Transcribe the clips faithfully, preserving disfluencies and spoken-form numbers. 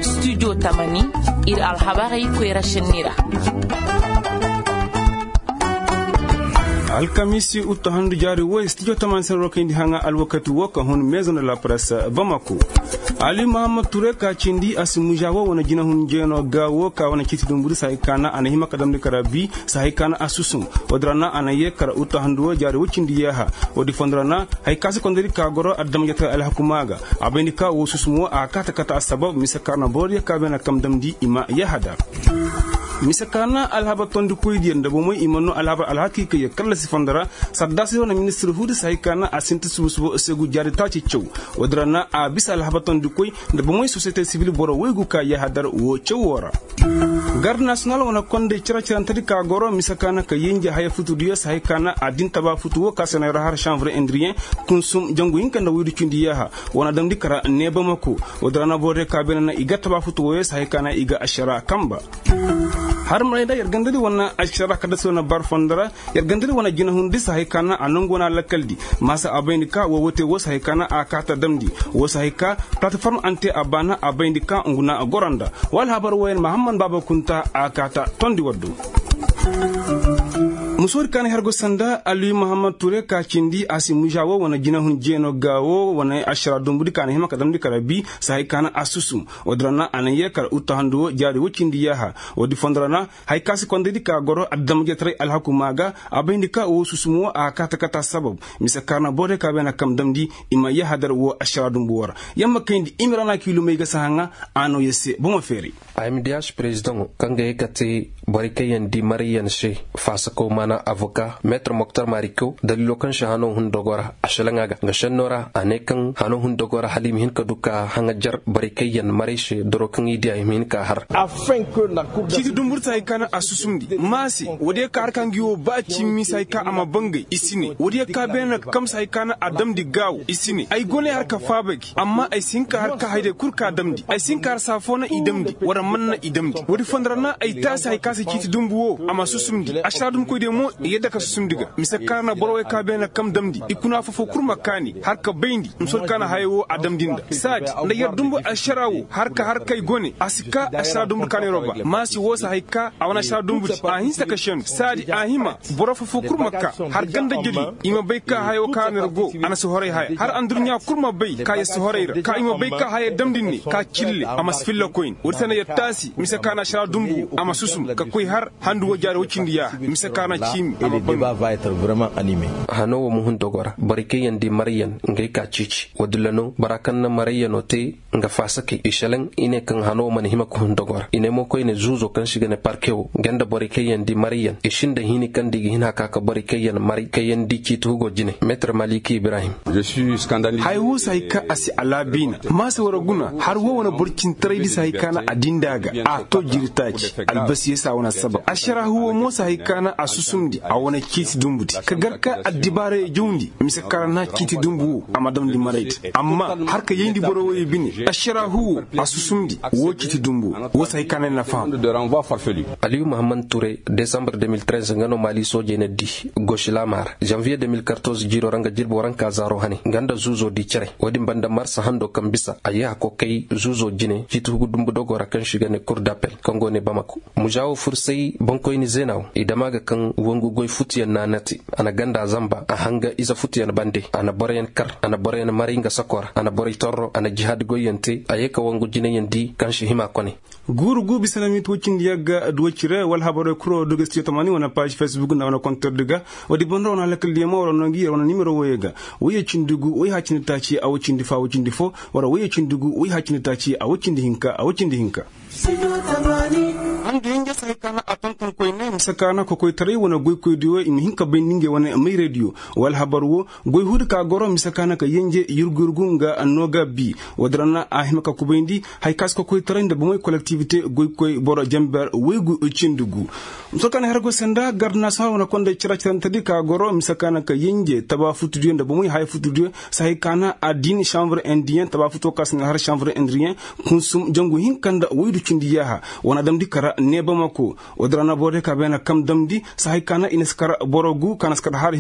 Studio tamani, ir alhabarey koyra šenni ra. Alkamiisi uttu handu jaari woy studio tamani sena rokayndi haŋa alwakati wo ka hun maison de la presse bamako. Ali muhammad ture ka cindi a si muža wo wane jinahun jeeno ga wo ka wane ciiti dumbu di sahay ka na a na hima ka damndi kara bi sahay ka na a susum. Woodi ra na a na yee kara uttu handu wo jaari woy cindi yaaha. Woodi fondo ra na haya ka si kondodi ka goro adama jatara alhakumaa ga. A bayndi ka woo susum woo a kaata kata assabab mise ka ra na borodiyo ka beene kam damndi i ma yahadar. Mise ka na alhabar tondikoydiyo nda bomey i ma noo alhabar alhakiikayyo kallasi fondo ra. Saddaasi wane ministir huudi si hay ka na a sinti subu subu segu jaari taaci caw. Woodi ra na a bisa alhabar tondikoy nda bomey sosiyete sibil boro woygu ka yahadar woo caw woo ra. Gard nasiyonal wane konday cere-cerentedi ka goro mise ka na ka yenje haya futudiyo si hay ka na a din taba futu woo ka se na yer har šanvre indiriyen kunsum jangu hinka nda woydu cindi yaaha. Wane damndi kara ne bamako. Woodi ra na borodiyo ka beene na i ga taba futu wooyo si hay ka na i ga ašara kamba. Har marayda yer gandadi wane ašara kaddasi wane bar fondo ra. Yer gandadi wane jinahun di si hay ka na a nongu wane alakaldi. Maasa a bayndi ka woo wote woo si hay ka na a kaata damndi. Woo si hay ka plataform ante a baana a bayndi ka ngu na a goro nda woo alhabar wooyen mahamman baaba kunta a kaata tondi waddu. Musoodi ka na her go sanda aliyu mahamman ture ka cindi a si muža woo wane jinahun jeeno ga woo wane ašara dumbudi ka na hima ka damndi kara bi si hay ka na a susum. Woodi ra na a na yee kara uttu handu woo jaari woo cindi yaaha. Woodi fondo ra na haya ka si kondaydi ka goro adama jataray alhakumaa ga. A bayndi ka woo susum woo a kaata kata sabab mise ka ra na borodiyo ka beene kam damndi i ma yahadar woo ašara dumbu woo ra. Yer ma kayndi i ma ra na kiilumey ga si haŋa a noo yer se bomo feeray. Ahmed yaaš perezidaŋo kaŋ ga ye ka te borey kaŋ yaŋ di marayyan se faasakaw maana avoka meetar moktar marikaw daliilo kaŋ se hanoo hun dogo ra a šelaŋ a ga nga šennoo ra a ne kaŋ hanoo hun dogo ra hala i ma hin ka du ka haŋajer borey kaŋ yaŋ maray se doro kaŋ i diya i ma hin ka har. Ciiti dumbur si hay ka na a susumndi ma se woodiyo ka har ka ngi woo ba cimmi si hay ka a ma bangay i si ne woodiyo ka beene na kam si hay ka na a damndi gaawo i si ne ay go ne har ka faaba gi amma ay si hin ka har ka hayday kul ka damndi ay si hin ka har saa foo na i damndi wala man na i damndi woodi fondo ra na ay taasi hay ka se ciiti dumbu woo a ma susumndi ašara dumbukoydiyo mo i yadda ka susumndi ga mise ka na boro wey ka beene na kam damndi i kuna foo foo kul ma kaani har ka bayndi. Musol ka na haya woo a damndi nda saadi nda yer dumbu ašara woo har ka har kay go ne a si ka ašara dumbu kaaniroo ba ma si woo si hay ka a wane ašara dumbu di a hinsa ka šendu saadi a hima boro foo foo kul ma ka har ganda jeli i ma bay ka haya woo ka na yer go a na si horay haya har andurɲa kul ma bay ka yer si horay ra ka i ma bay ka haya damndi ne ka cille a ma si filla koyne woodi se na yer taasi mise ka na ašara dumbu a ma susum ka koy har handu woo jaari woo cindi yaaha mise ka na ciimi a ma bangay. Hanoo woo ma hun dogo ra borey kaŋ yaŋ di marayyan ngey ka ciici woo dilla no bora kaŋ na marayyanoo te nga faasakey i šelaŋ i ne kaŋ hanoo mana hima ka hun dogo ra i ne mo koyne zuuzo kaŋ se i ga ne parke wo nga nda borey kaŋ yaŋ di marayyan i sinda hini kaŋ nda i ga hin a ka ka borey kaŋ yaŋ maray kaŋ yaŋ di ciiti hugo jine meetar maliki ibrahim. Haya woo si hay ka a si alaabiina ma se war guna har woo wane boro cintaraydi si hay ka na a dindi a ga a to jiritaaci albasiyey se a wane assabab ašaraahu woo mo si hay ka na a susumndi a wane ciiti dumbudi ka gar ka addibaarey jawndi mise ka ra na ciiti dumbu woo a ma damndi maraydi amma har ka yayndi boro woyey bine ašaraahu woo a susumndi woo ciiti dumbu woo woo si hay ka na ay na faham. Aliyu muhammad ture desambar deux mille treize nga no maali soojey na di gosi laamaa ra janviye deux mille quatorze jiiroo ra nga jirbi warankaa zaaroo hane nga nda zuuzoo di cere woodin banda marsa handoo kaŋ bisa a yee hakoo kay zuuzoo jine ciiti hugu dumbu dogoo ra kaŋ se i ga ne kur d'appel kaŋ go ne bamako. Mužaa woo fursay boŋkoyni zeena woo i dam a ga kaŋ wongu goy futuyaŋ na a nati a na ganda zanba a hanga ize futuyaŋ bande a na boroyaŋ kar a na boroyaŋ maray nga sakoo ra a na borey torro a na jihaadi goyyaŋ te a yee ka wongu jineyaŋ di kaŋ si hima kone. Guuru gu bisa na miiti woy cindi yagga duwey cire wala habarey kuro dogo studio tamaani wane paaž facebook nda wane kontordi ga. Woodi boŋ ra wane halakal diyaŋ ma war noo ngi yer wane nimero woyey ga. Woyey cindi gu woy haya cindi taaci a woy cindi fo a woy cindi fo. Wala woyey cindi gu woy haya cindi taaci a woy cindi hinka a woy cindi hinka. Handu hinja si hay ka na a tonton koyne mise ka na kokoytaray wane goykoydiyo i ma hin ka bayndi ngey wane mayraydiyo. Wala habar wo goy huudi ka goro mise ka na ka yenje yurgu-yurgu nga nooga bi. Woodi ra na a hima ka kubayndi. Hay ka si kokoytaray nda bomey kolektiwite goykoy boro jenber woygu cindi gu. Mise ka na har go senda gard nasiyonal wane konday cere-cerentedi ka goro mise ka na ka yenje taba futudiyo nda bomey haya futudiyo. Si hay ka na a din šanvre indiyen taba futuwo ka si na har šanvre indiriyen. Kunsum jangu hinka nda woydu cindi yaaha. Wane damndi kara ne bamako. Woodi ra na boro day ka beene kam damndi si hay ka na i na si kar boro gu ka na si kar har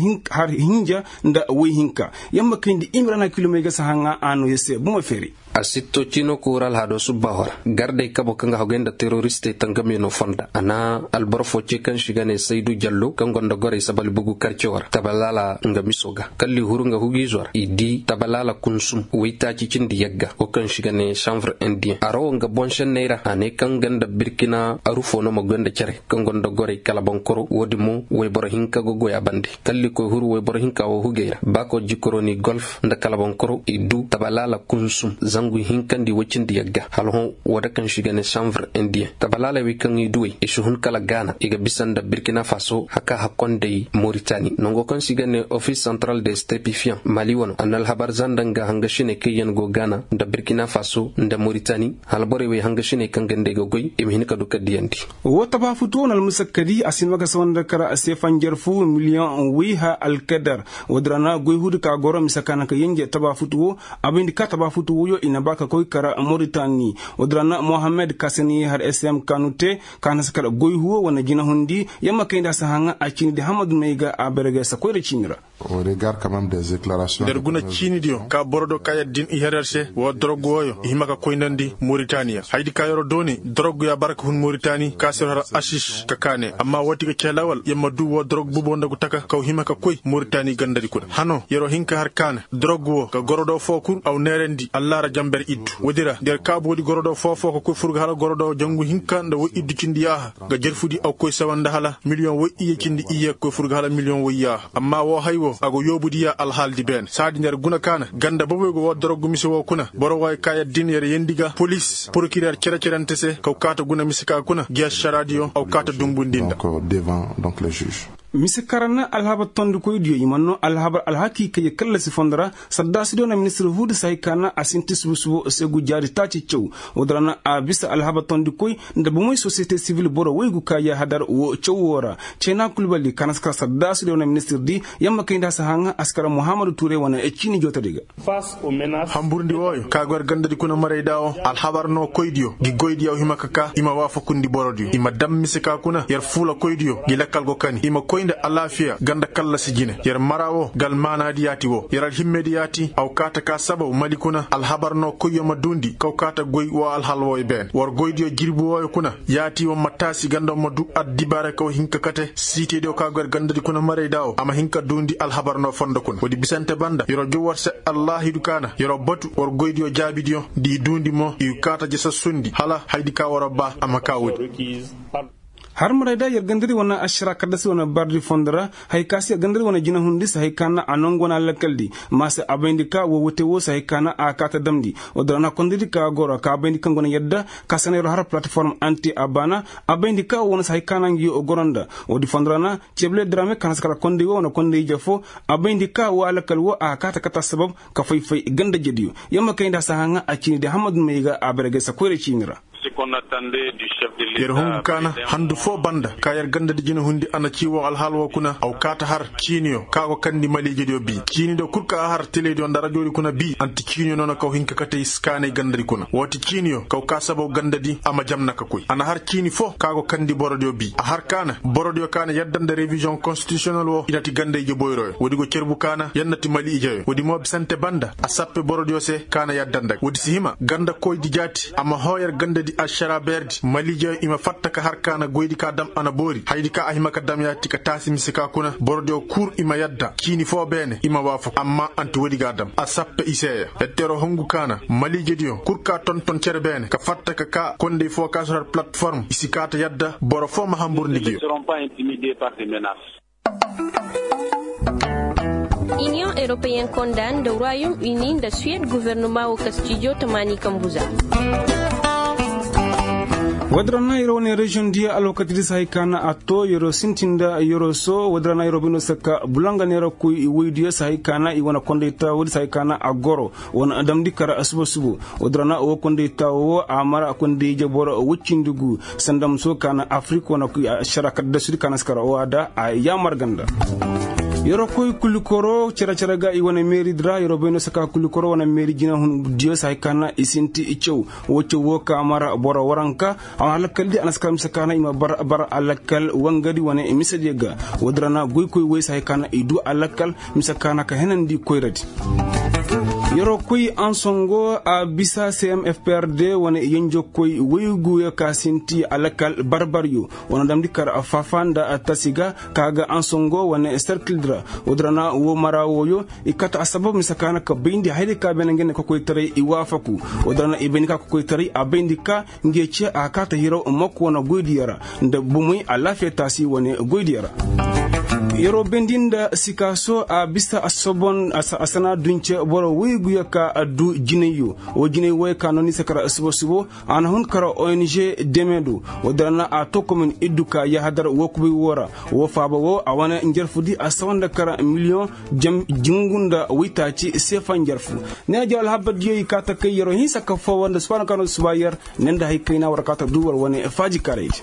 hinja nda woy hinka. Yer ma kayndi i ma ra na kilomey ga si haŋa a noo yer se buma feeray. A sitto ciino koora alhado subba hora gardey kabo kaŋ ga hagay nda teroristey tangame no fonda a na alboro fo ce kaŋ si ga ne saydu jallo kaŋ gonda gorey sabali bugu karce wara tabalaala nga miso ga kalli huru nga hugiizo ra i di tabalaala kunsum waytaaci cindi yagga wo kaŋ si ga ne sanvre indiyen a rawo nga boŋ senney ra a ne kaŋ ganda birkina arufo no ma goy nda care kaŋ gonda gorey kala boŋkoro wo- din mo wayboro hinka ga goy a bande kalli koy huru wayboro hinka wo hugey ra baako jikoroni golf nda kala boŋkoro i du tabalaala kunsum zangu hinkandi wacindi yagga hala hõ woo da kaŋ si ga ne sanvre indiyen tabalaaley wey kaŋ i duwey i si hun kala gaana i ga bisa nda birkina faso haka hakkondey moritani nango kaŋ si ga ne ofis santral de stepifiyan mali wano a na alhabar zanda nga hangasiney kaŋ yaŋ go gaana nda birkina faso nda moritani hala borey wey hangasiney kaŋ ga nd'ey ga goy i ma hin ka du ka diyandi. Woo tabaafutu woo na almusakkadi a si ma ga sawa nda kara seefanjar fu miliyoŋ wiiha alkadar. Woo din ra na goy huudi ka goro mise ka na ka yenje tabaafutu woo a bayndi ka tabaafutu wooyo i na ba ka koy kara moritani. Woo din ra na mohammed ka se na i har sm kanu te ka na si kara goy huwo wane jinahundi yamma kayndi a si haŋa a ciini di hammadu may ga a berge sa koyra ciini ra. Nda yer guna ciinidiyo ka borodiyo ka yer din i har yer se woo dorog wooyo i hima ka koynandi moritaniya haydi ka yer dooni dorog ya bara ka hun moritani ka se yer har asis ka kaane amma wooti ga cee lawal yer ma duu woo dorog bubo nda gu taka kaw hima ka koy moritani gandadi kuna hano yer hin ka har kaane dorog woo ga gorodo foo kul aw neerandi allaara jamber iddu woodi ra nda yer kaabu woodi gorodo foo foo ka koy fur ga hala gorodo jangu hinka nda woy iddu cindi yaaha ga jerfudi aw koy sawa nda hala miliyoŋ woy iyye cindi iyye ga koy fur ga hala miliyoŋ woy yaaha amma woo hay woo a go yoobudiya alhaaldi beene saadi nda yer guna kaana ganda boboy go woo dorogu mise woo kuna boro wooyo ka yer din yer yendi ga polis porokirer cere-cerente se kaw kaata guna mise ka kuna gi ašaraadiyo aw kaata dumbundi nda. Mise kaŋ ra na alhabar tondikoydiyo i mana noo alhabar alhakii kay kallasi fondo ra saddaasidiyo na ministir huudi se hay ka na a sinti subu-subu seegu jaari taaci caw. Woodi ra na a bisa alhabar tondikoy nda bomey sosiyete sivil boro woygu ka yaahadar woo caw woo ra. Ceenaa kulbali ka na si kar saddaasidiyo na ministir di yamma kayndi a si haŋa a si kar muhammadu tuuray wane ciini jootadi ga. Hamburndi wooyo ka go yer gandadi kuna marayda woo alhabar noo koydiyo ngi goydiyo hima ka kaa i ma waafakundi borodiyo i ma dam mise ka kuna yer fuula koydiyo ngi lakkal go kani i ma koy nda alaafiya ganda kallasi jine yer mara woo ngi almaanaadi yaati woo yer alhimmedi yaati aw kaata ka sabaw mali kuna alhabar noo koyyo ma duundi kaw kaata goy woo alhal wooyo beene war goydiyo jirbi wooyo kuna yaati woo ma taasi ganda woo ma duu addibaara kaw hin ka kate siitediyo ka go yer gandadi kuna marayda woo a ma hin ka duundi alhabar noo fondo kuna woodi bisante banda yer'o jow war se allaahidu kaana yer'o batu war goydiyo jaabidiyo nda i duundi mo i kaata ja sassundi hala haydi ka war'o baa a ma kaa woodi. Har marayda yer gandadi wane ašara kaddasi wane bardi fondo ra hay ka se yer gandadi wane jinahundi se hay ka na a nongu wane alakkaldi ma se a bayndi ka woo wote woo se hay ka na a kaata damndi. Woodi ra na kondaydi ka goro ka bayndi kaŋ go na yadda ka se na yer'o har palatiform anti a baana a bayndi ka woo wane se hay ka na ngi goro nda woodi fondo ra na ceebale diraame ka na si kar kondey woo wane kondey ije foo a bayndi ka woo alakkal woo a kaata kate assabab ka fay-fay ganda-ijediyo. Yer ma kayndi a si haŋa a ciini di hammadu may ga a bare gay sa koyra ciini ra. Yer hungu ka na handu foo banda ka yer gandadi jinahundi a na cii woo alhaal woo kuna aw kaata har ciiniyo ka go kandi maliijediyo bii ciinidiyo kul ka a har telediyo nda rajoodi kuna bii anti ciiniyo noona kaw hin ka kate i si kaanay gandadi kuna woo ti ciiniyo kaw ka sabaw gandadi a ma jamna ka koy a na har ciini foo ka go kandi borodiyo bii a har ka na borodiyo ka na yadda nda reviziyoŋ konstitisiyonel woo i na ti ganda ije boyroyo woodi go cerbu ka na yer na ti mali ijeyo woodi mo bisante banda a sappe borodiyo se ka na yadda nda ga woodi si hima ganda koydi jaati a ma hoo yer gandadi ašara beerdi mali ijeyo i ma fatta ka har ka na goydi ka dam a na boori haydi ka a hima ka dam yaati ka taasi mise ka kuna borodiyo kul i ma yadda ciini foo beene i ma waafaku amma anti woodi ga a dam a sappe i se ya. Yer teeroo hungu ka na maliijediyo kul ka tonton cere beene ka fatta ka kaa kondey foo ka si har palatiform i si kaa ta yadda boro foo ma hamburndi ngi yo. Iniyoŋ eropeyen konda nda ruwayum ini nda suwed gofornoma woo kastijo tamaani kambu za. Woodi ra na yer wane reziyoŋ diya alwakati di si hay ka na a too yeroo sintin nda yeroo soo woodi ra na yeroo bay no si ka bulanga neera koy woydiyo si hay ka na i wane kondey taawoodi si hay ka na a goro wane damndi kara suba-suba. Woodi ra na woo kondey taawo woo a mara kondey ije boro woy cindi gu sanda muso ka na afirik wane ašara kaddasudi ka na si kara woo a da a yaamar ganda. Yeroo koy kulikoro cere-cere ga i wane meeridi ra yeroo bay no si ka kulikoro wane meeri jinahundiyo si hay ka na i sinti i caw woo caw woo ka mara boro waranka a wane alakal di a na si kar mise ka na i ma bar alakal wangadi wane misediyo ga. Woodi ra na goykoy woy si hay ka na i duu alakal mise ka na ka henandi koyradi. Yeroo koy ansongo a bisa cmfprd wane yenjokoy woyguyo ka sinti alakal barbaryo. Wane damndi kar fafa nda tasi ga ka ga ansongo wane serkildi ra. Woodin ra na woo mara wooyo i kate assabab mise ka na ka bayndi hayday ka beene nga ne kokoytaray i waafaku. Woodin ra na i bayndi ka kokoytaray a bayndi ka nge ce a kaata hiraw mokko wane goydiyo ra nda bumey alaafiya taasi wane goydiyo ra. Yeroo bayndi nda sikaaso a bisa a sana dunce boro woyguyo ka du jinayyo. Woo jinay wooyo ka no ni se kar subo subo a na hun kar ong deme do. Woo dara na a to komin iddu ka yahadar woo kubay woo ra. Woo faaba woo a wane njarfu di a sawa nda kar miliyoŋ jingu nda waytaaci seefa njarfu. Ne na jaw alhabar diyo i kaa ta kay yeroo hinsa ka foowa nda suba na ka no suba yer. Ne nda hay kayna war kaa ta du war wane faajikaray di.